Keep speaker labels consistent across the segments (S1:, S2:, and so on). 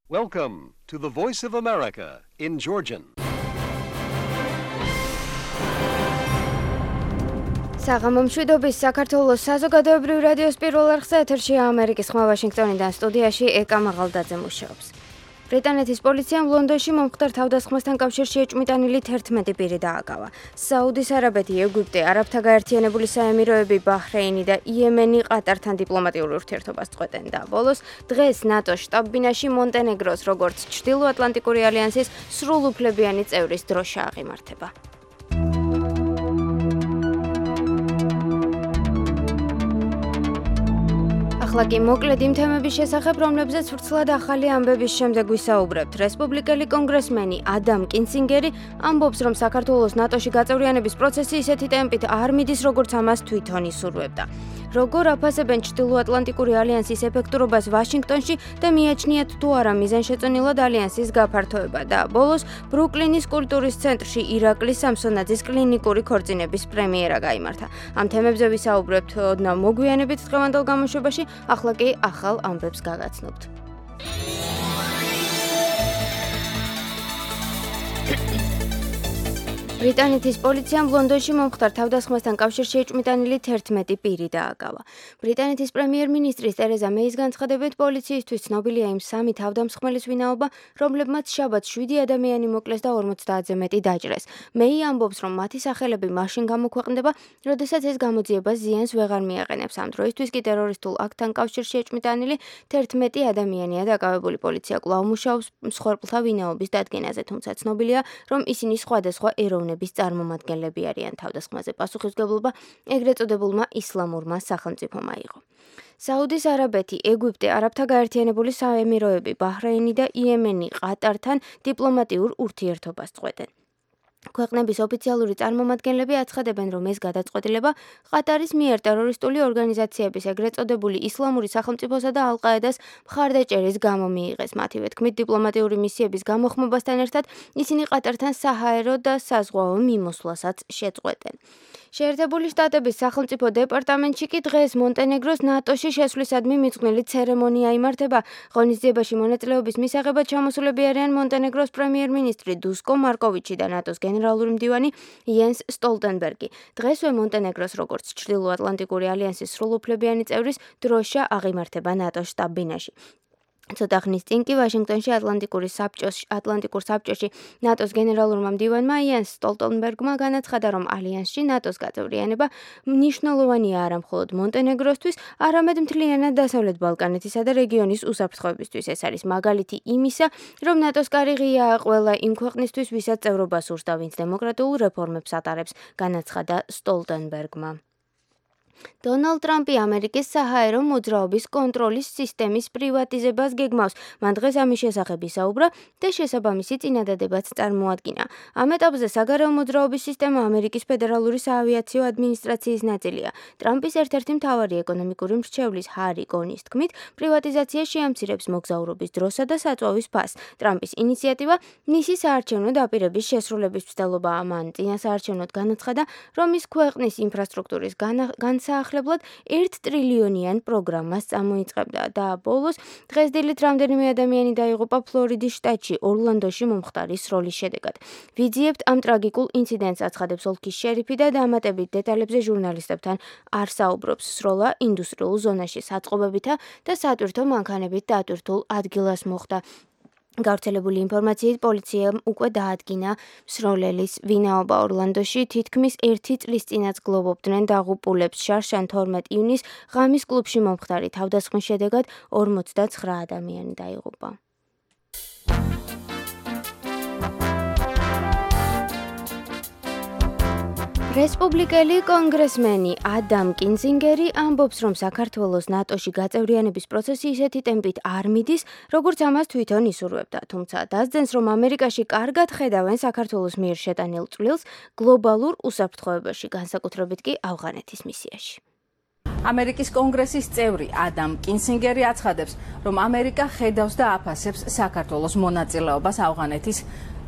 S1: Welcome to the Voice of America in Georgian.
S2: საღამომშვიდობის საქართველოს საზოგადოებრივ რადიოს პირველ არხზე ეთერშია ამერიკის ხმა ვაშინგტონიდან სტუდიაში ეკა მაღალდაძე მუშაობს. ბრიტანეთის პოლიციამ ლონდონში მომხდარ თავდასხმასთან კავშირში ეჭვმიტანილი 11 პირი დააკავა. საუდის არაბეთი, ეგვიპტე, არაბთა გაერთიანებული საემიროები, ბაჰრეინი და იემენი ყატართან დიპლომატიურ ურთიერთობას წყვეტენ და ბოლოს დღეს ნატოს შტაბ-ბინაში მონტენეგროს როგორც ჩრდილოატლანტიკური ალიანსის სრულუფლებიანი წევრის დროშა აღიმართება. ახლა კი მოკლედ იმ თემების შესახებ, რომლებზეც ვრცლად ახალი ამბების შემდეგ ვისაუბრებთ. რესპუბლიკელი კონგრესმენი ადამ კინცინგერი ამბობს, რომ საქართველოს ნატოში გაწევრიანების პროცესი ისეთი ტემპით არ მიდის, როგორც ამას თვითონ ისურვებდა. როგორ აფასებენ ჩრდილოატლანტიკური ალიანსის ეფექტურობას ვაშინგტონში და მიაჩნიათ თუ არა მიზანშეწონილად ალიანსის გაფართოება და ბოლოს ბრუკლინის კულტურის ცენტრში ირაკლი სამსონაძის კლინიკური ქორწინების პრემიერა გაიმართა. ამ თემებზე ვისაუბრებთ ოდნავ მოგვიანებით დღევანდელ გამოშვებაში. ახლა კი ახალ ამბებს გაგაცნობთ. ბრიტანეთის პოლიციამ ლონდონში მომხდარ თავდასხმასთან კავშირში ეჭვმიტანილი 11 პირი დააკავა. ბრიტანეთის პრემიერ-მინისტრის ტერეზა მეის განცხადებით, პოლიციისთვის ცნობილია იმ 3 თავდამსხმელის ვინაობა, რომლებმაც შაბათს 7 ადამიანი მოკლეს და 50-ზე მეტი დაჭრეს. მეი ამბობს, რომ მათი სახელები მაშინ გამოქვეყნდება, როდესაც ეს გამოძიება ზიანს ვეღარ მიაყენებს. ამ დროისთვის კი ტერორისტულ აქტთან კავშირში ეჭვმიტანილი 11 ადამიანია დაკავებული. პოლიცია კვლავ მუშაობს მსხვერპლთა ვინაობის დადგენაზე, თუმცა ცნობილია, რომ ისინი სხვადასხვა ეროვნების წარმომადგენლები არიან. თავდასხმაზე პასუხისმგებლობა ეგრეთ წოდებულმა ისლამურმა სახელმწიფომ აიღო. საუდის არაბეთი, ეგვიპტე, არაბთა გაერთიანებული საემიროები, ბაჰრეინი და იემენი ყატართან დიპლომატიურ ურთიერთობას წყვეტენ. ქვეყნების ოფიციალური წარმომადგენლები აცხადებენ, რომ ეს გადაწყვეტილება ყატარის მიერ ტერორისტული ორგანიზაციების ეგრეთ წოდებული ისლამური სახელმწიფოსა და ალ-ყაედას მხარდაჭერის გამო მიიღეს. მათივე თქმით, დიპლომატიური მისიების გამოხმობასთან ერთად ისინი ყატართან საჰაერო და საზღვაო მიმოსვლასაც შეწყვეტენ. შეერთებული შტატების სახელმწიფო დეპარტამენტში კი დღეს მონტენეგროს ნატოში შესვლისადმი მიძღვნილი ცერემონია იმართება. ღონისძიებაში მონაწილეობის მისაღებად ჩამოსულები არიან მონტენეგროს პრემიერ-მინისტრი დუსკო მარკოვიჩი და ნატოს გენერალური მდივანი იენს სტოლტენბერგი. დღესვე მონტენეგროს როგორც ჩრდილოატლანტიკური ალიანსის სრულუფლებიანი წევრის დროშა აღიმართება ნატოს შტაბ-ბინაში. ცოტა ხნის წინ კი ვაშინგტონში ატლანტიკურ საბჭოში ნატოს გენერალურმა მდივანმა იენს სტოლტენბერგმა განაცხადა, რომ ალიანსში ნატოს გაწევრიანება მნიშვნელოვანია არა მხოლოდ მონტენეგროსთვის, არამედ მთლიანად დასავლეთ ბალკანეთისა და რეგიონის უსაფრთხოებისთვის. ეს არის მაგალითი იმისა, რომ ნატოს კარი ღიაა ყველა იმ ქვეყნისთვის, ვისაც წევრობა სურს და ვინც დემოკრატიულ რეფორმებს ატარებს, განაცხადა სტოლტენბერგმა. დონალდ ტრამპი ამერიკის საჰაერო მოძრაობის კონტროლის სისტემის პრივატიზებას გეგმავს. მან დღეს ამის შესახებ ისაუბრა და შესაბამისი წინადადებაც წარმოადგინა. ამ ეტაპზე საგარეო მოძრაობის სისტემა ამერიკის ფედერალური საავიაციო ადმინისტრაციის ნაწილია. ტრამპის ერთ-ერთი მთავარი ეკონომიკური მრჩევლის ჰარი გონის თქმით, პრივატიზაცია შეამცირებს მოგზაურობის დროსა და საწვავის ფასს. ტრამპის ინიციატივა მისი საარჩევნო დაპირების შესრულების მცდელობაა. მან წინასაარჩევნოდ განაცხადა, რომ ის ქვეყნის ინფრასტრუქტურის საახლებლად 1 ტრილიონიან პროგრამას წამოიწყებდა და ბოლოს დღეს დილით რამდენიმე ადამიანი დაიღუპა ფლორიდის შტატში ორლანდოში მომხდარი სროლის შედეგად. ვიძიებთ ამ ტრაგიკულ ინციდენტს, აცხადებს ოლქის შერიფი და დამატებით დეტალებზე ჟურნალისტებთან არ საუბრობს. სროლა ინდუსტრიულ ზონაში საწყობებითა და სატვირთო მანქანებით დატვირთულ ადგილას მოხდა. გავრცელებული ინფორმაციით პოლიციამ უკვე დაადგინა მსროლელის ვინაობა. ორლანდოში თითქმის 1 წლის წინაც გლოვობდნენ დაღუპულებს. შარშან 12 ივნის ღამის კლუბში მომხდარი თავდასხმის შედეგად 49 ადამიანი დაიღუპა. რესპუბლიკელი კონგრესმენი ადამ კინცინგერი ამბობს, რომ საქართველოს ნატოში გაწევრიანების პროცესი ისეთი ტემპით არ მიდის, როგორც ამას თვითონ ისურვებდა. თუმცა დასძენს, რომ ამერიკაში კარგად ხედავენ საქართველოს მიერ შეტანილ წვლილს გლობალურ უსაფრთხოებაში, განსაკუთრებით კი ავღანეთის მისიაში.
S3: ამერიკის კონგრესის წევრი ადამ კინცინგერი აცხადებს, რომ ამერიკა ხედავს და აფასებს საქართველოს მონაწილეობას ავღანეთის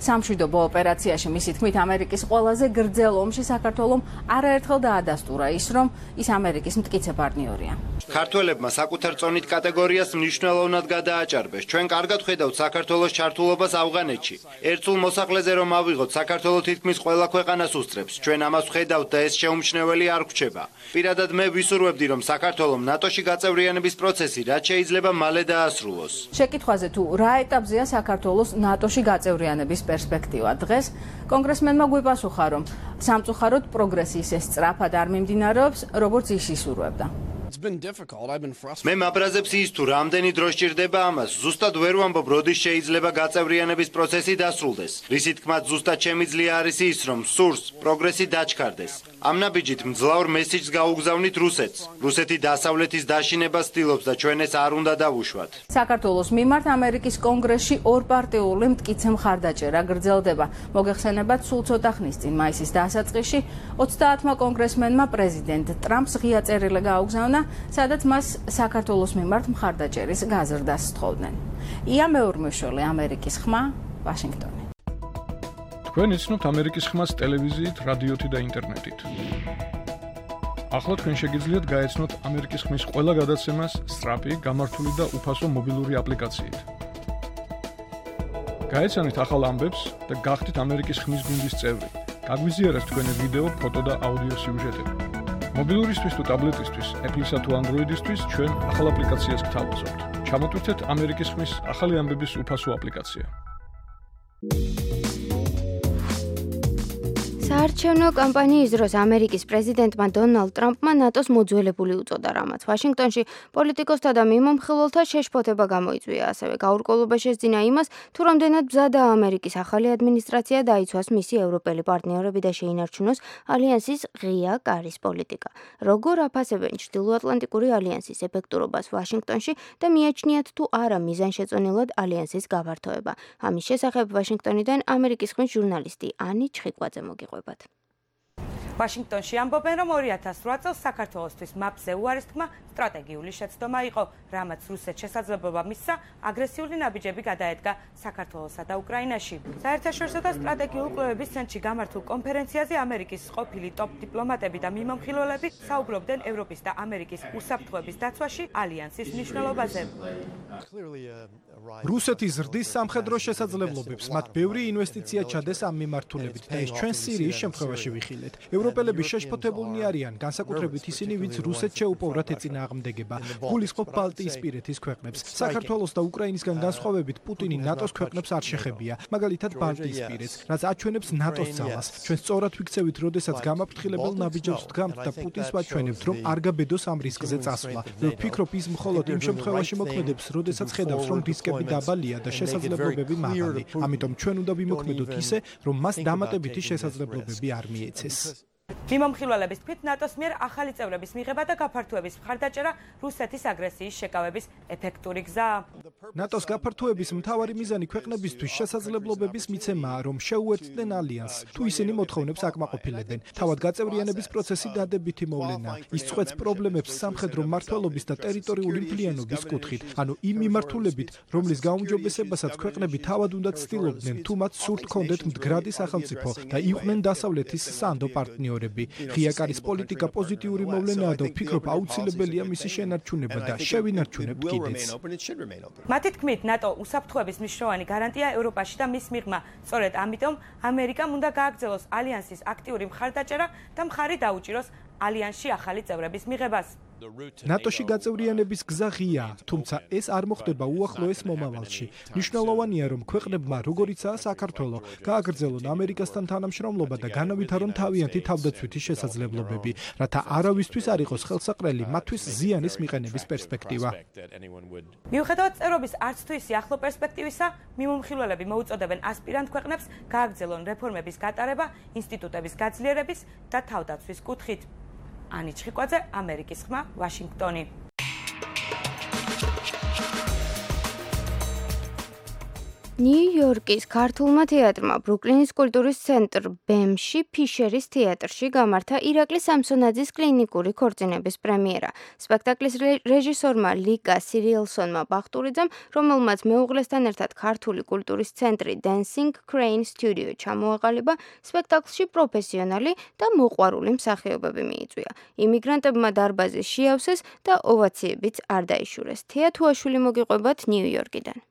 S3: სამშვიდობო ოპერაციაში მისი თქმით ამერიკის ყველაზე გრძელ ომში საქართველომ არაერთხელ დაადასტურა ის, რომ ის ამერიკის მტკიცე პარტნიორია.
S4: ქართველებმა საკუთარ წონით კატეგორიას მნიშვნელოვნად გადააჭარბეს. ჩვენ კარგად ხედავთ საქართველოს ჩართულობას ავღანეთში. ერთსულ მოსახლეზე რომ ავიღოთ, საქართველო თითქმის ყველა ქვეყანას უსწრებს. ჩვენ ამას ვხედავთ და ეს შეუმჩნეველი არ გვჩება. პირადად მე ვისურვებდი, რომ საქართველომ ნატოში გაწევრიანების პროცესი რაც შეიძლება მალე დაასრულოს.
S3: შეკითხვაზე თუ რა ეტაპზეა საქართველოს ნატოში გაწევრიანების პერსპექტივა დღეს კონგრესმენმა გვიპასუხა, რომ სამწუხაროდ პროგრესი ისე სწრაფად არ მიმდინარეობს, როგორც ის ისურვებდა.
S4: მე მაბრაზებს ის თუ რამდენი დრო სჭირდება ამას, ზუსტად ვერ ვამბობ, როდის შეიძლება გაწევრიანების პროცესი დასრულდეს. რისი თქმაც ზუსტად შემიძლია არის ის, რომ სურს პროგრესი დაჩქარდეს. ამ ნაბიჯით მძლავრ მესიჯს გაუგზავნით რუსეთს. რუსეთი დასავლეთის დაშინებას ცდილობს და ჩვენ ეს არ უნდა დავუშვათ.
S3: საქართველოს მიმართ ამერიკის კონგრესში ორპარტიული მტკიცე მხარდაჭერა გრძელდება. მოგეხსენებათ, სულ ცოტა ხნის წინ მაისის დასაწყისში 30-მა კონგრესმენმა პრეზიდენტ ტრამპს ღია წერილი გააუგზავნა, სადაც მას საქართველოს მიმართ მხარდაჭერის გაზრდას სთხოვდნენ. ია მეორმეშველი, ამერიკის ხმა, ვაშინგტონი.
S5: თქვენ იცნობთ ამერიკის ხმას ტელევიზიით, რადიოთი და ინტერნეტით. ახლა თქვენ შეგიძლიათ გაეცნოთ ამერიკის ხმის ყველა გადაცემას სწრაფი, გამართული და უფასო მობილური აპლიკაციით. გაეცანით ახალ ამბებს და გახდით ამერიკის ხმის გუნდის წევრი. გაგვიზიარეთ თქვენი ვიდეო, ფოტო და აუდიო სიუჟეტები. მობილურისთვის თუ ტაბლეტისთვის, Apple-ისა თუ Android-ისთვის ჩვენ ახალ აპლიკაციას გთავაზობთ. ჩამოტვირთეთ ამერიკის ხმის ახალი ამბების უფასო აპლიკაცია.
S2: საარჩევნო კამპანიის დროს ამერიკის პრეზიდენტმა დონალდ ტრამპმა ნატოს მოძველებული უწოდა, რამაც ვაშინგტონში პოლიტიკოსთა და მიმომხილველთა შეშფოთება გამოიწვია. ასევე გაურკვევლობა შესძინა იმას, თუ რამდენად მზადაა ამერიკის ახალი ადმინისტრაცია დაიცვას მისი ევროპელი პარტნიორები და შეინარჩუნოს ალიანსის ღია კარის პოლიტიკა. როგორ აფასებენ ჩრდილოატლანტიკური ალიანსის ეფექტურობას ვაშინგტონში და მიაჩნიათ თუ არა მიზანშეწონილად ალიანსის გაფართოება. ამის შესახებ ვაშინგტონიდან ამერიკის ხმის ჟურნალისტი ანი ჩხიკვაძე მოგიყვება.
S6: ვაშინგტონში ამბობენ, რომ 2008 წელს საქართველოსთვის მაპზე უარის თქმა სტრატეგიული შეცდომა იყო, რამაც რუსეთს შესაძლებლობა მისცა აგრესიული ნაბიჯები გადაედგა საქართველოსა და უკრაინაში. საერთაშორისო და სტრატეგიული კვლევების ცენტრში გამართულ კონფერენციაზე ამერიკის ყოფილი ტოპ დიპლომატები და მიმომხილველები საუბრობდნენ ევროპის და ამერიკის უსაფრთხოების დაცვაში ალიანსის მნიშვნელობაზე.
S7: რუსეთი ზრდის სამხედრო შესაძლებლობებს, მათ ბევრი ინვესტიცია ჩადეს ამ მიმართულებით და ეს ჩვენ სირიის შემთხვევაში ვიხილეთ. ევროპელები შეშფოთებულნი არიან, განსაკუთრებით ისინი, ვინც რუსეთს შეუპოვრათ ეწინააღმდეგება. გულისხმობ ბალტიისპირეთის ქვეყნებს. საქართველოს და უკრაინისგან განსხვავებით პუტინი ნატოს ქვეყნებს არ შეხებია, მაგალითად ბალტიისპირეთს, რაც აჩვენებს ნატოს ძალას. ჩვენ სწორად ვიქცევით, როდესაც გამაფრთხილებელ ნაბიჯებს ვდგამთ და პუტინს ვაჩვენებთ, რომ არ გაბედოს ამ რისკზე წასვლა. ვფიქრობ, ის მხოლოდ იმ შემთხვევაში მოქმედებს, როდესაც ხედავს, რომ რისკები დაბალია და შესაძლებლობები მაღალი. ამიტომ ჩვენ უნდა ვიმოქმედოთ ისე, რომ მას დამატებითი შესაძლებლობები არ მიეცეს.
S6: მიმომხილველების თქმით, ნატოს მიერ ახალი წევრების მიღება და გაფართოების მხარდაჭერა რუსეთის აგრესიის შეკავების ეფექტური გზაა.
S7: ნატოს გაფართოების მთავარი მიზანი ქვეყნებისთვის შესაძლებლობების მიცემაა, რომ შეუერთდნენ ალიანსს, თუ ისინი მოთხოვნებს აკმაყოფილებენ. თავად გაწევრიანების პროცესი დადებითი მოვლენაა. ის წყვეტს პრობლემებს სამხედრო მმართველობის და ტერიტორიული მთლიანობის კუთხით, ანუ იმ მიმართულებით, რომლის გაუმჯობესებასაც ქვეყნები თავად უნდა ცდილობდნენ, თუ მათ სურთ ჰქონდეთ მდგრადი სახელმწიფო და იყვნენ დასავლეთის სანდო პარტნიორები. ღია კარის პოლიტიკა პოზიტიური მოვლენაა და ვფიქრობ, აუცილებელია მისი შენარჩუნება და შევინარჩუნებთ კიდეც.
S6: მათი თქმით, ნატო უსაფრთხოების მნიშვნელოვანი გარანტია ევროპაში და მის მიღმა. სწორედ ამიტომ ამერიკამ უნდა გააგრძელოს ალიანსის აქტიური მხარდაჭერა და მხარი დაუჭიროს ალიანსში ახალი წევრების მიღებას.
S7: ნატოში გაწევრიანების გზა ღიაა, თუმცა ეს არ მოხდება უახლოეს მომავალში. მნიშვნელოვანია, რომ ქვეყნებმა, როგორიცაა საქართველო, გააგრძელონ ამერიკასთან თანამშრომლობა და განავითარონ თავიანთი თავდაცვითი შესაძლებლობები, რათა არავისთვის არ იყოს ხელსაყრელი მათთვის ზიანის მიყენების პერსპექტივა.
S6: მიუხედავად წევრობის არც თუ ისი ახლო პერსპექტივისა, მიმომხილველები მოუწოდებენ ასპირანტ ქვეყნებს გააგრძელონ რეფორმების გატარება ინსტიტუტების გაძლიერების და თავდაცვის კუთხით. ანი ჩხიკვაძე, ამერიკის ხმა, ვაშინგტონი.
S2: ნიუ-იორკის ქართულმა თეატრმა ბრუკლინის კულტურის ცენტრ BEM-ში ფიშერის თეატრში გამართა ირაკლი სამსონაძის კლინიკური ქორწინების პრემიერა. სპექტაკლის რეჟისორმა ლიკა სირიელსონმა ბახტურიძემ, რომელმაც მეუღლესთან ერთად ქართული კულტურის ცენტრი Dancing Crane Studio ჩამოაყალიბა, სპექტაკლში პროფესიონალი და მოყვარული მსახიობები მიიწვია. იმიგრანტებმა დარბაზი შეავსეს და ოვაციებიც არ დაიშურეს. თეა თუაშვილი მოგიყვებათ ნიუ-იორკიდან.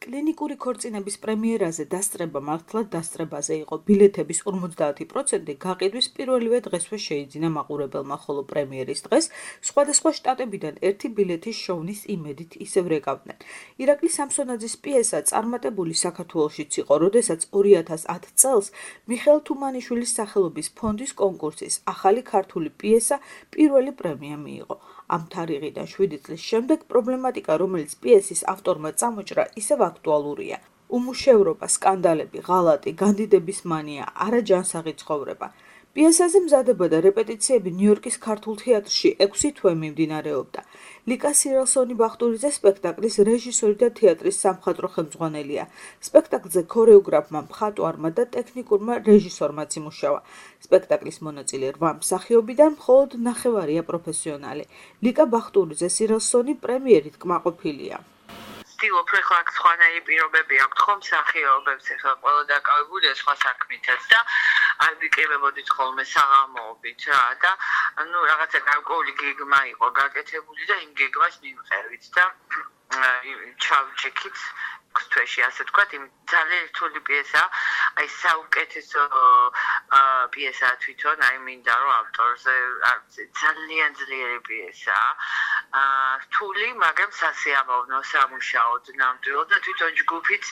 S8: კლინიკური ქორწინების პრემიერაზე დასწრება მართლად დასწრებაზე იყო. ბილეთების 50% გაყიდვის პირველივე დღესვე შეიძინა მაყურებელმა, ხოლო პრემიერის დღეს სხვადასხვა შტატებიდან ერთი ბილეთის შოვნის იმედით ისევ რეკავდნენ. ირაკლი სამსონაძის პიესა წარმატებული საქართველოშიც იყო, როდესაც 2010 წელს მიხეილ თუმანიშვილის სახელობის ფონდის კონკურსის ახალი ქართული პიესა პირველი პრემია მიიღო. ამ თარიღიდან 7 წლის შემდეგ პრობლემატიკა, რომელიც პიესის ავტორმა წამოჭრა, ისევ აქტუალურია. უმუშევრობა, სკანდალები, ღალატი, განდიდების მანია, არაჯანსაღი ცხოვრება. პიესაზე მზადება და რეპეტიციები ნიუ-იორკის ქართულ თეატრში 6 თვე მიმდინარეობდა. ლიკა სირიელსონი ბახტურიძე სპექტაკლის რეჟისორი და თეატრის სამხატვრო ხელმძღვანელია. სპექტაკლზე ქორეოგრაფმა, მხატვარმა და ტექნიკურმა რეჟისორმაც იმუშავა. სპექტაკლის მონაწილე 8 მსახიობიდან მხოლოდ 9 პროფესიონალი. ლიკა ბახტურიძე სირიელსონი პრემიერით კმაყოფილია.
S9: ვთქვი, ხო აქ სხვანაირი პირობები აქვთ ხომ მსახიობებს, ახლა ყველა დაკავებულია სხვა საქმითაც და არ ვიკრიბებოდით ხოლმე საღამოობით რა და რაღაცა გარკვეული გეგმა იყო გაკეთებული და იმ გეგმას მივყევით და ჩავჭიქით თვეში, ასე თქვა, ძალიან რთული პიესა, აი საუკეთესო პიესაა თვითონ, აი მინდა რომ ავტორზე ძალიან ძლიერი პიესაა. რთული, მაგრამ სასიამოვნო, სამუშაოდ ნამდვილად და თვითონ ჯგუფიც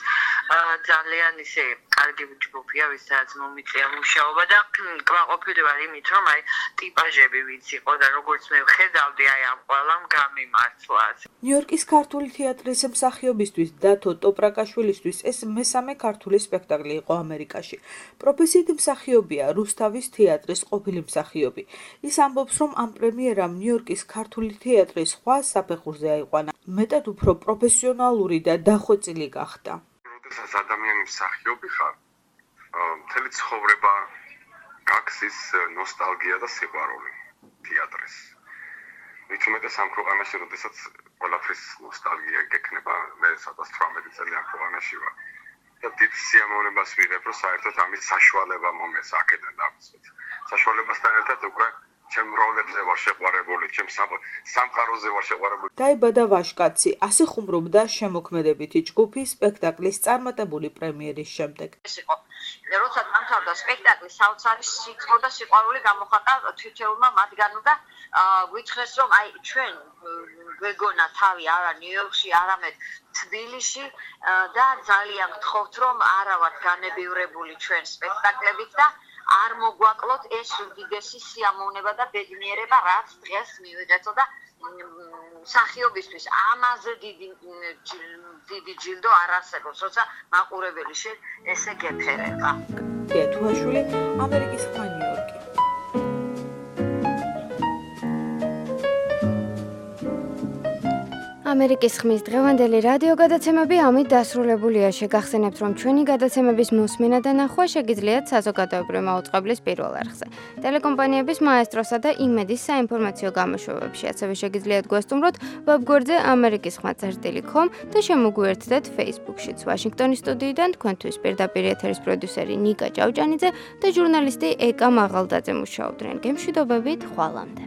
S9: ძალიან ისე კარგი ჯგუფია, ვისაც მომიწია მუშაობა და კმაყოფილი ვარ იმით, რომ აი ტიპაჟები ვინც იყო და როგორც მე ვხედავდი აი ამ ყველამ გამიმართლას.
S8: ნიუ-იორკის ქართული თეატრის მსახიობისთვის დათო ტოპრაკაშვილისთვის ეს მესამე ქართული სპექტაკლი იყო ამერიკაში. პროფესიით მსახიობია, რუსთავის თეატრის ყოფილი მსახიობი. ის ამბობს, რომ ამ პრემიერამ ნიუ-იორკის ქართული თეატრის სხვა საფეხურზე აიყვანა. მეტად უფრო პროფესიონალური და დახვეწილი გახდა.
S10: როდესაც ადამიანი მსახიობი ხარ, მთელი ცხოვრება გაქვს ის ნოსტალგია და სიყვარული თეატრის. მით უმეტეს ამ ქვეყანაში, როდესაც ყველაფრის ნოსტალგია გექნება, მე 18 წელი ამ ქვეყანაში ვარ. და დიდ სიამოვნებას ვიღებ, რომ საერთოდ ამის საშუალება მომეს აქედან დავიწყოთ. საშუალებასთან ერთად უკვე ჩემ როლებზე ვარ შეყვარებული, ჩემ სამყაროზე ვარ შეყვარებული.
S8: დაიბადა ვაშკაცი, ასე ხუმრობდა შემოქმედებითი ჯგუფი სპექტაკლის წარმატებული პრემიერის შემდეგ.
S9: ეს იყო როცა დამთავრდა სპექტაკლი, საოცარი სიცხო და სიყვარული გამოხატა თითოეულმა მათგანმა და გვითხრეს, რომ აი ჩვენ გვეგონა თავი არა ნიუ-იორკში, არამედ თბილისში და ძალიან გთხოვთ, რომ არა ვართ განებივრებული ჩვენ სპექტაკლებით და არ მოგვაკლოთ ეს უდიდესი სიამოვნება და ბედნიერება, რაც დღეს მივიღეთო და მსახიობისთვის ამაზე დიდი ჯილდო არ არსებობს, როცა მაყურებელი შენ ესე გეფერება.
S8: თეა თუაშვილი, ამერიკის ხმა ნიუ-იორკი.
S2: ამერიკის ხმის დღევანდელი რადიო გადაცემები ამით დასრულებულია. შეგახსენებთ, რომ ჩვენი გადაცემების მოსმენა და ნახვა შეგიძლიათ საზოგადოებრივი მაუწყებლის პირველ არხზე, ტელეკომპანიების მაესტროსა და იმედის საინფორმაციო გამოშვებებში. ასევე შეგიძლიათ გვესტუმროთ ვებგვერდზე amerikisxma.com და შემოგვიერთდეთ Facebook-შიც. ვაშინგტონის სტუდიიდან თქვენთვის პირდაპირ ეთერის პროდიუსერი ნიკა ჭავჭანიძე და ჟურნალისტი ეკა მაღალდაძე მუშაობდნენ. გემშვიდობებით, ხვალამდე.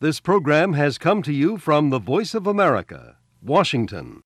S1: This program has come to you from the Voice of America, Washington.